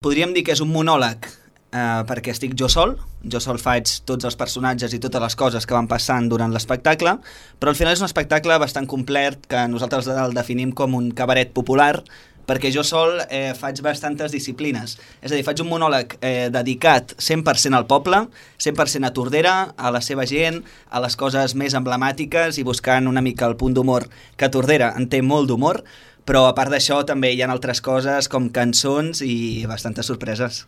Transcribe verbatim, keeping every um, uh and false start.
Podríem dir que és un monòleg eh, perquè estic jo sol, jo sol faig tots els personatges i totes les coses que van passant durant l'espectacle, però al final és un espectacle bastant complet que nosaltres el definim com un cabaret popular, perquè jo sol eh, faig bastantes disciplines. És a dir, faig un monòleg eh, dedicat cent per cent al poble, cent per cent a Tordera, a la seva gent, a les coses més emblemàtiques i buscant una mica el punt d'humor, que Tordera en té molt d'humor, però a part d'això també hi ha altres coses com cançons i bastantes sorpreses.